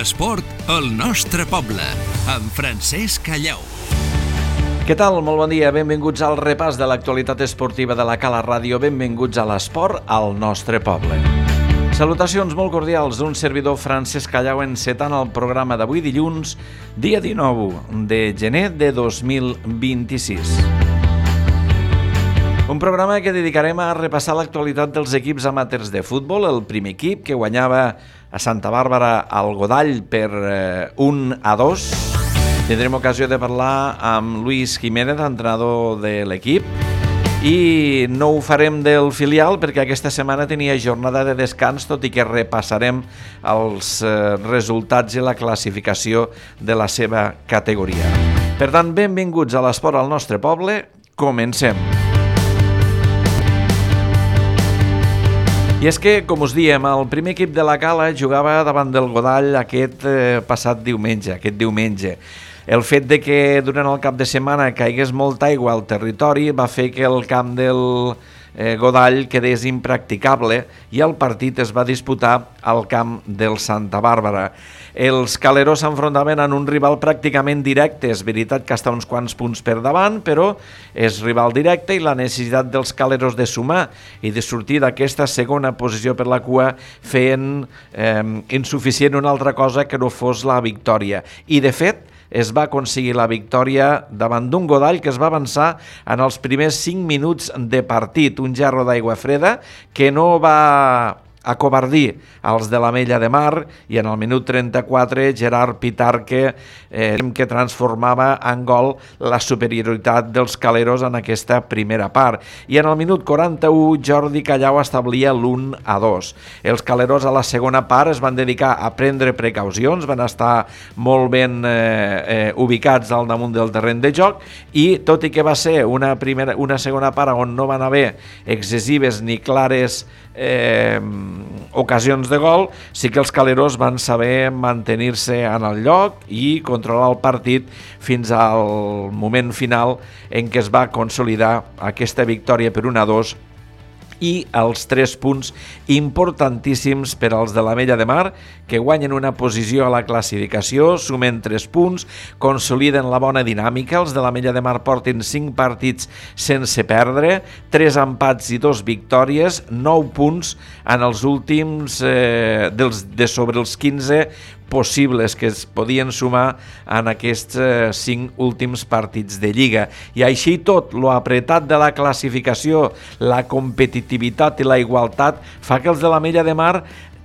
L'esport al nostre poble, amb Francesc Callau. Què tal? Molt bon dia. Benvinguts al repàs de l'actualitat esportiva de la Cala Ràdio. Benvinguts a l'esport al nostre poble. Salutacions molt cordials d'un servidor Francesc Callau encetant el programa d'avui dilluns, dia 19 de gener de 2026. Un programa que dedicarem a repassar l'actualitat dels equips amateurs de futbol. El primer equip que guanyava a Santa Bàrbara al Godall per 1-2. Tindrem ocasió de parlar amb Luis Jiménez, entrenador de l'equip, i no ho farem del filial perquè aquesta setmana tenia jornada de descans, tot i que repassarem els resultats i la classificació de la seva categoria. Per tant, benvinguts a l'esport al nostre poble. Comencem. I és que, com us diem, el primer equip de la Cala jugava davant del Godall aquest diumenge. El fet de que durant el cap de setmana caigués molta aigua al territori va fer que el camp del Godall quedés impracticable i el partit es va disputar al camp del Santa Bàrbara. Els caleros s'enfrontaven en un rival pràcticament directe. És veritat que està uns quants punts per davant, però és rival directe i la necessitat dels caleros de sumar i de sortir d'aquesta segona posició per la cua feien insuficient una altra cosa que no fos la victòria. I de fet, es va aconseguir la victòria davant d'un Godall que es va avançar en els primers 5 minuts de partit. Un gerro d'aigua freda que no va acobardir als de l'Ametlla de Mar i en el minut 34 Gerard Pitarque que transformava en gol la superioritat dels caleros en aquesta primera part. I en el minut 41 Jordi Callau establia l'1-2. Els caleros a la segona part es van dedicar a prendre precaucions, van estar molt ben ubicats al damunt del terreny de joc i tot i que va ser una segona part on no van haver excessives ni clares ocasions de gol, sí que els caleros van saber mantenir-se en el lloc i controlar el partit fins al moment final en què es va consolidar aquesta victòria per 1-2 i els 3 punts importantíssims per als de l'Ametlla de Mar, que guanyen una posició a la classificació, sumen 3 punts, consoliden la bona dinàmica. Els de l'Ametlla de Mar porten 5 partits sense perdre, 3 empats i 2 victòries, 9 punts en els últims de sobre els 15 possibles que es podien sumar en aquests 5 últims partits de Lliga. I així tot, lo apretat de la classificació, la competitivitat i la igualtat fa que els de l'Ametlla de Mar,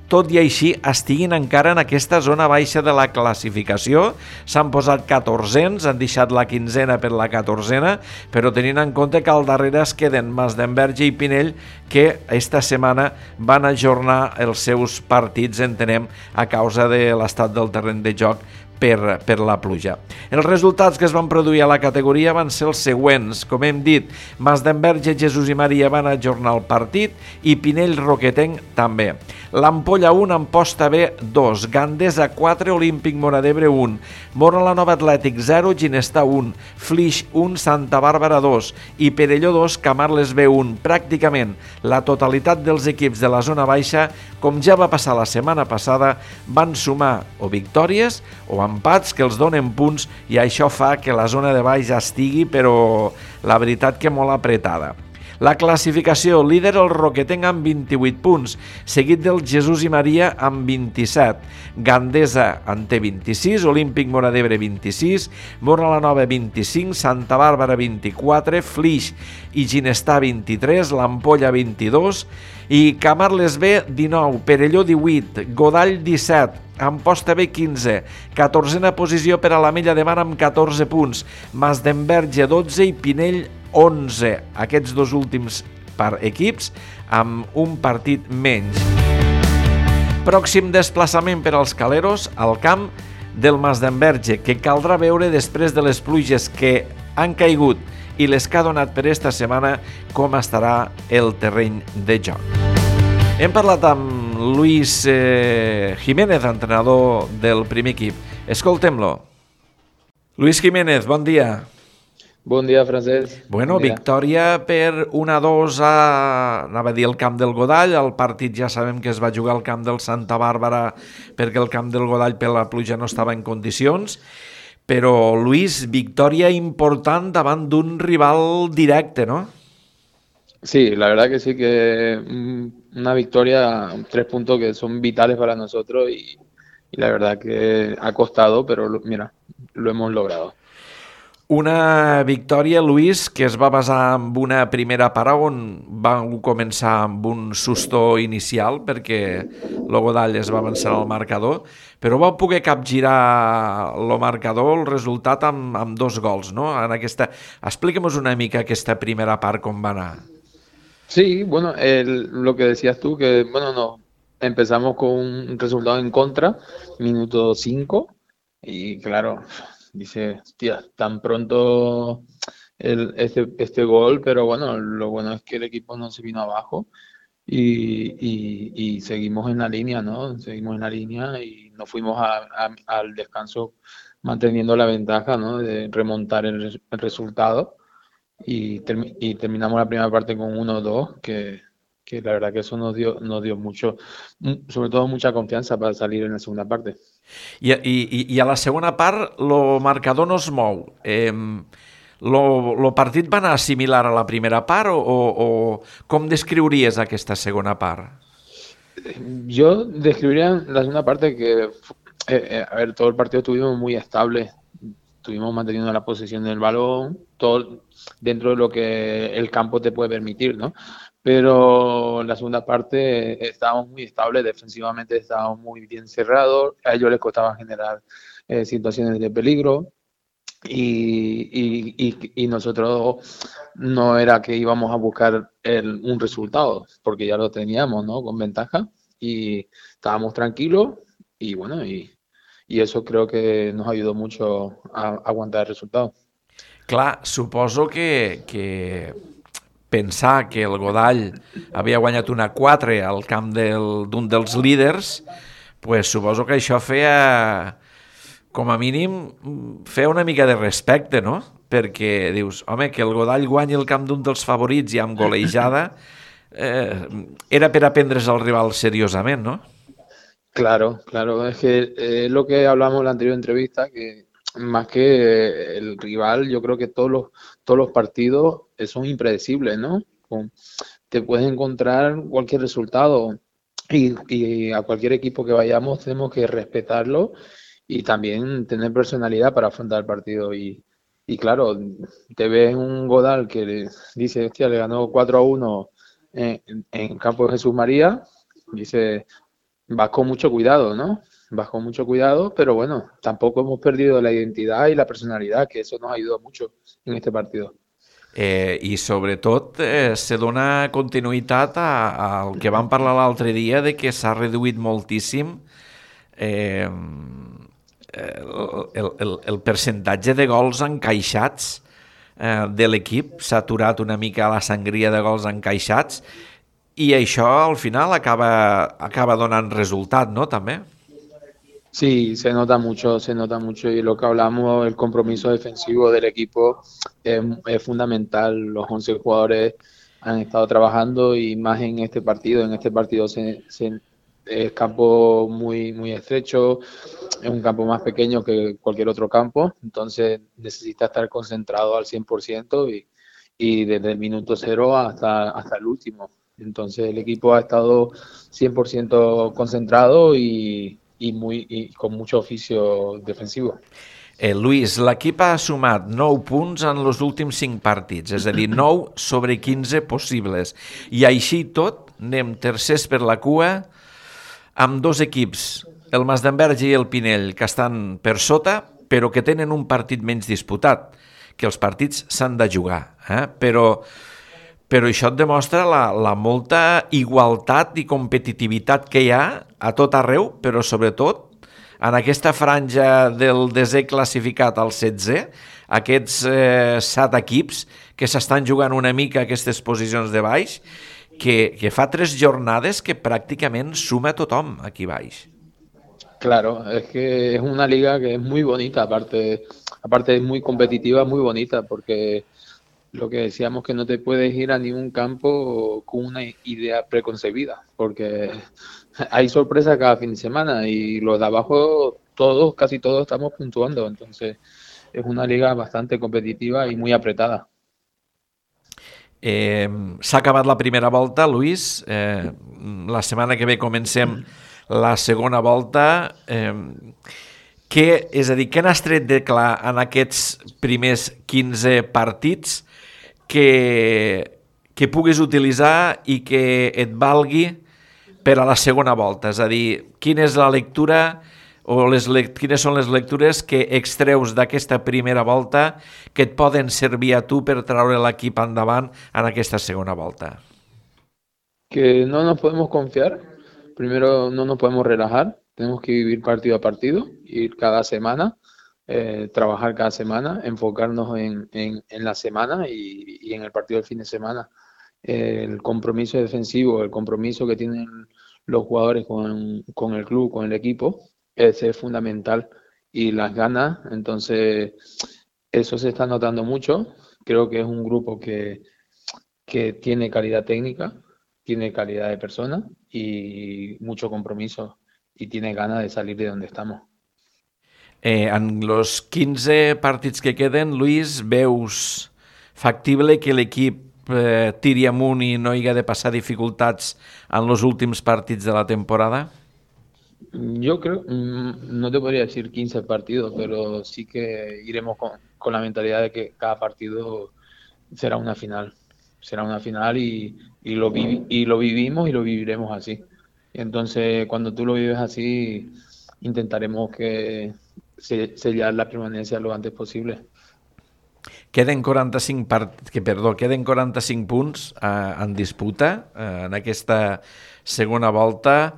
tot i així, estiguin encara en aquesta zona baixa de la classificació. S'han posat 14ens, han deixat la 15a per la 14a, però tenint en compte que al darrere es queden Masdenverge i Pinell, que esta setmana van ajornar els seus partits, entenem, a causa de l'estat del terreny de joc per la pluja. Els resultats que es van produir a la categoria van ser els següents. Com hem dit, Masdenverge, Jesús i Maria van ajornar el partit i Pinell Roquetenc també. L'Ampolla 1, Amposta B 2, Gandesa 4, Olímpic Móra d'Ebre 1, Móra la Nova Atlètic 0, Ginestar 1, Flix 1, Santa Bàrbara 2 i Perelló 2, Camarles B 1. Pràcticament la totalitat dels equips de la zona baixa, com ja va passar la setmana passada, van sumar o victòries o empats que els donen punts i això fa que la zona de baix estigui, però la veritat que molt apretada. La classificació: líder el Roquetenc amb 28 punts, seguit del Jesús i Maria amb 27. Gandesa en té 26, Olímpic Móra d'Ebre 26, Móra la Nova 25, Santa Bàrbara 24, Flix i Ginestar 23, l'Ampolla 22 i Camarles B 19, Perelló 18, Godall 17, Amposta B 15, 14a posició per a l'Ametlla de Mar amb 14 punts, Masdenverge 12 i Pinell 11. Aquests dos últims equips amb un partit menys. Pròxim desplaçament per als caleros al camp del Masdenverge, que caldrà veure després de les pluges que han caigut i les que ha donat per esta setmana com estarà el terreny de joc. Hem parlat amb Luis Jiménez, entrenador del primer equip. Escoltem-lo. Luis Jiménez, bon dia. Bon dia, Francesc. Bueno, Bon dia. victòria per 1-2 anava a dir al camp del Godall. El partit ja sabem que es va jugar al camp del Santa Bàrbara perquè el camp del Godall per la pluja no estava en condicions. Però, Luis, victòria important davant d'un rival directe, no? Sí, la verdad que sí, que una victoria, 3 puntos que son vitales para nosotros y la verdad que ha costado, pero mira, lo hemos logrado. Una victòria, Luis, que es va basar en una primera part on van començar amb un susto inicial perquè el Godall es va avançar al marcador, però va poder capgirar el marcador, el resultat amb 2 gols, no? Explica'm una mica aquesta primera part com va anar. Sí, bueno, lo que decías tú, que bueno, no, empezamos con un resultado en contra, minuto 5, y claro, dice, hostia, tan pronto este gol, pero bueno, lo bueno es que el equipo no se vino abajo y seguimos en la línea, ¿no? Seguimos en la línea y nos fuimos al descanso manteniendo la ventaja, ¿no? De remontar el resultado y terminamos la primera parte con 1-2, que la verdad que eso nos dio mucho, sobre todo mucha confianza para salir en la segunda parte. I a la segona part el marcador no es mou. El partit va anar similar a la primera part o com descriuries aquesta segona part? Yo describiría la segunda parte que, a ver, todo el partido estuvimos muy estable, estuvimos manteniendo la posesión del balón, todo dentro de lo que el campo te puede permitir, ¿no? Pero en la segunda parte estábamos muy estables, defensivamente estábamos muy bien cerrados, a ellos les costaba generar situaciones de peligro y nosotros no era que íbamos a buscar un resultado, porque ya lo teníamos, ¿no? Con ventaja y estábamos tranquilos y bueno, y eso creo que nos ayudó mucho a aguantar el resultado. Clar, suposo que pensar que el Godall havia guanyat 1-4 al camp d'un dels líders, pues suposo que això feia, com a mínim, feia una mica de respecte, no? Perquè dius, home, que el Godall guanyi el camp d'un dels favorits i amb golejada era per aprendre's al rival seriosament, no? Claro, claro, es que lo que hablamos en la anterior entrevista, que más que el rival, yo creo que todos los partidos son impredecibles, ¿no? Te puedes encontrar cualquier resultado y a cualquier equipo que vayamos tenemos que respetarlo y también tener personalidad para afrontar el partido. Y claro, te ves un Godal que dice, hostia, le ganó 4-1 en campo de Jesús María, dice, vas con mucho cuidado, ¿no? Vas con mucho cuidado, pero bueno, tampoco hemos perdido la identidad y la personalidad, que eso nos ayudó mucho en este partido. I sobretot se dona continuïtat al que vam parlar l'altre dia de que s'ha reduït moltíssim el percentatge de gols encaixats de l'equip, s'ha aturat una mica la sangria de gols encaixats i això al final acaba donant resultat, no? També. Sí, se nota mucho y lo que hablamos, el compromiso defensivo del equipo es fundamental. Los 11 jugadores han estado trabajando y más en este partido. En este partido es campo muy, muy estrecho, es un campo más pequeño que cualquier otro campo, entonces necesita estar concentrado al 100% y desde el minuto 0 hasta el último. Entonces el equipo ha estado 100% concentrado y con mucho oficio defensivo. Luis, l'equip ha sumat 9 punts en els últims 5 partits, és a dir, 9 sobre 15 possibles. I així tot, anem tercers per la cua, amb 2 equips, el Masdenverge i el Pinell, que estan per sota, però que tenen un partit menys disputat, que els partits s'han de jugar. Però això et demostra la molta igualtat i competitivitat que hi ha a tot arreu, però sobretot en aquesta franja del desè classificat al 16è, aquests 7 equips que s'estan jugant una mica aquestes posicions de baix, que fa 3 jornades que pràcticament suma tothom aquí baix. Claro, es que es una liga que es muy bonita, aparte es muy competitiva, muy bonita, porque lo que decíamos que no te puedes ir a ningún campo con una idea preconcebida, porque hay sorpresas cada fin de semana y los de abajo, todos, casi todos estamos puntuando, entonces es una liga bastante competitiva y muy apretada. S'ha acabat la primera volta, Luis. La setmana que ve comencem la segona volta. És a dir, què n'has tret de clar en aquests primers 15 partits que puguis utilitzar i que et valgui per a la segona volta? És a dir, quina és la lectura o quines són les lectures que extreus d'aquesta primera volta que et poden servir a tu per treure l'equip endavant en aquesta segona volta? Que no nos podemos confiar, primero no nos podemos relajar, tenemos que vivir partido a partido, ir cada semana, trabajar cada semana, enfocarnos en la semana y en el partido del fin de semana. El compromiso defensivo, el compromiso que tienen los jugadores con el club, con el equipo, ese es fundamental. Y las ganas, entonces eso se está notando mucho. Creo que es un grupo que tiene calidad técnica, tiene calidad de persona y mucho compromiso y tiene ganas de salir de donde estamos. En los 15 partits que queden, Luis, veus factible que l'equip tiri amunt i no hi ha de passar dificultats en els últims partits de la temporada? Yo creo, no te podría decir 15 partidos, pero sí que iremos con la mentalidad de que cada partido será una final. Será una final y lo vivimos y lo viviremos así. Y entonces, cuando tú lo vives así, intentaremos que sellar la permanencia lo antes posible. Queden 45 punts en disputa en aquesta segona volta.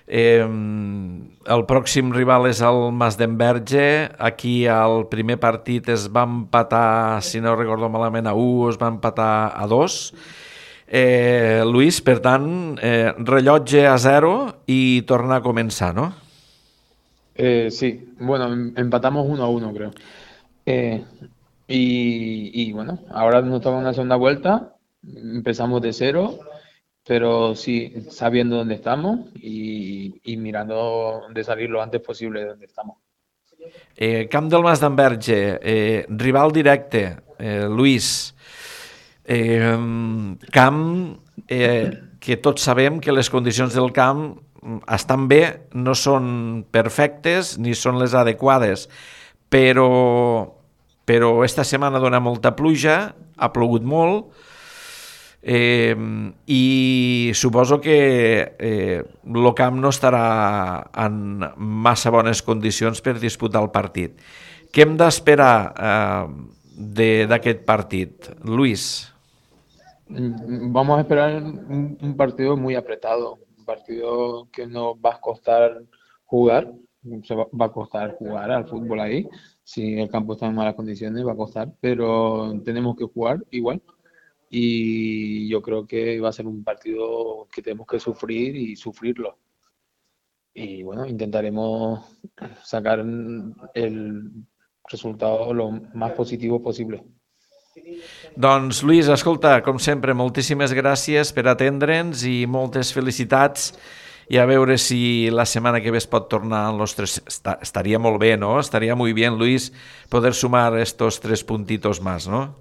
El pròxim rival és el Masdenverge. Aquí el primer partit es va empatar, si no recordo malament, a 1, es va empatar a 2. Luis, per tant, rellotge a 0 i tornar a començar, no? Sí, bueno, empatamos 1-1, creo. Y bueno, ahora nos toca una segunda vuelta, empezamos de 0, pero sí, sabiendo dónde estamos y mirando de salir lo antes posible de donde estamos. Camp del Masdenverge, rival directe, Luis. Camp que tots sabem que les condicions del camp estan bé, no són perfectes ni són les adequades, però esta setmana dona molta pluja, ha plogut molt, i suposo que el camp no estarà en massa bones condicions per disputar el partit. Què hem d'esperar d'aquest partit, Luis? Vamos a esperar un partido muy apretado, un partido que nos va a costar jugar, va a costar jugar al fútbol ahí. Si el campo está en malas condiciones va a costar, pero tenemos que jugar igual. Y yo creo que va a ser un partido que tenemos que sufrir y sufrirlo. Y bueno, intentaremos sacar el resultado lo más positivo posible. Doncs Luis, escolta, com sempre, moltíssimes gràcies per atendre'ns i moltes felicitats, i a veure si la setmana que ve es pot tornar en los 3. Estaría molt bé, ¿no? Estaría muy bien, Luis, poder sumar estos 3 puntitos más, ¿no?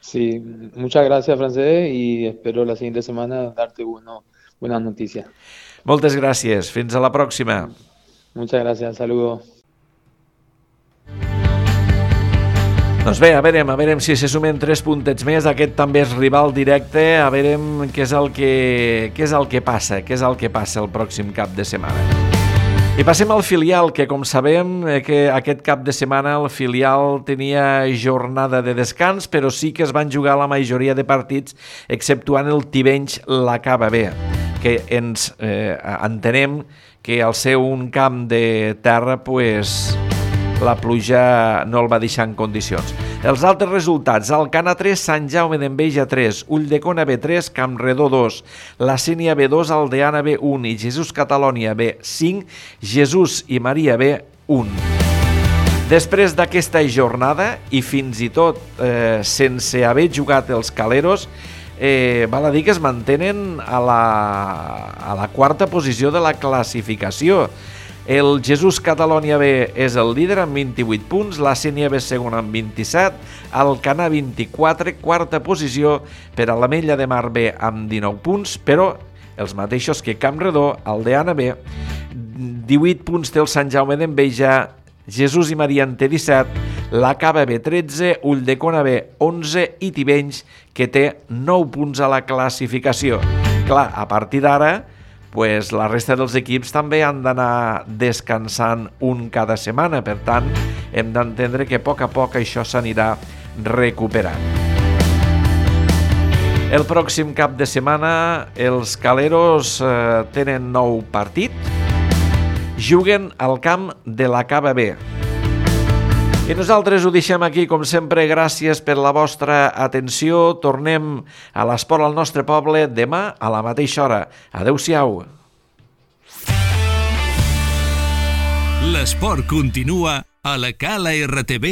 Sí, muchas gracias, Francesc, y espero la siguiente semana darte buenas noticias. Moltes gràcies, fins a la pròxima. Muchas gracias, saludos. Doncs bé, a veurem si se sumen 3 puntets més. Aquest també és rival directe. A veurem què és el que passa el pròxim cap de setmana. I passem al filial, que com sabem que aquest cap de setmana el filial tenia jornada de descans, però sí que es van jugar la majoria de partits, exceptuant el Tivenys l'Acaba bé, que ens entenem que al ser un camp de terra, pues, la pluja no el va deixar en condicions. Els altres resultats: Alcana 3, Sant Jaume d'Enveja 3, Ulldecona B3, Campredó 2, La Sénia B2, Aldeana B1 i Jesús Catalònia B5, Jesús i Maria B1. Després d'aquesta jornada, i fins i tot sense haver jugat els Caleros, val a dir que es mantenen a la quarta posició de la classificació. El Jesús Catalònia B és el líder amb 28 punts, la Sénia B segona amb 27, Alcanar 24, quarta posició per a l'Ametlla de Mar B amb 19 punts, però els mateixos que Campredó, Aldeana B, 18 punts té el Sant Jaume d'Enveja, Jesús i Maria en té 17, la Cava B 13, Ulldecona B 11 i Tivenys, que té 9 punts a la classificació. Clar, a partir d'ara, pues, la resta dels equips també han d'anar descansant un cada setmana, per tant, hem d'entendre que a poc això s'anirà recuperant. El pròxim cap de setmana els Caleros tenen nou partit, juguen al camp de la Cava B. I nosaltres ho deixem aquí, com sempre, gràcies per la vostra atenció. Tornem a l'esport al nostre poble demà a la mateixa hora. Adéu-siau. L'esport continua a la calartv.cat.